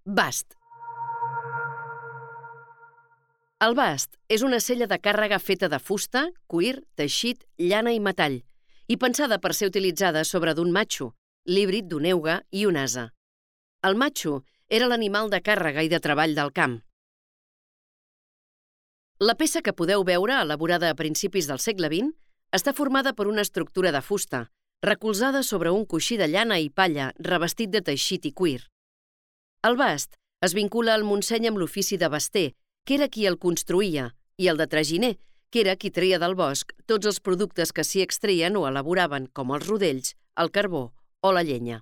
Bast. El bast és una sella de càrrega feta de fusta, cuir, teixit, llana i metall, i pensada per ser utilitzada sobre d'un matxo, l'híbrid d'un euga i un ase. El matxo era l'animal de càrrega i de treball del camp. La peça que podeu veure, elaborada a principis del segle XX, està formada per una estructura de fusta, recolzada sobre un coixí de llana i palla revestit de teixit i cuir. El bast es vincula al Montseny amb l'ofici de baster, que era qui el construïa, i el de traginer, que era qui treia del bosc tots els productes que s'hi extreien o elaboraven, com els rodells, el carbó o la llenya.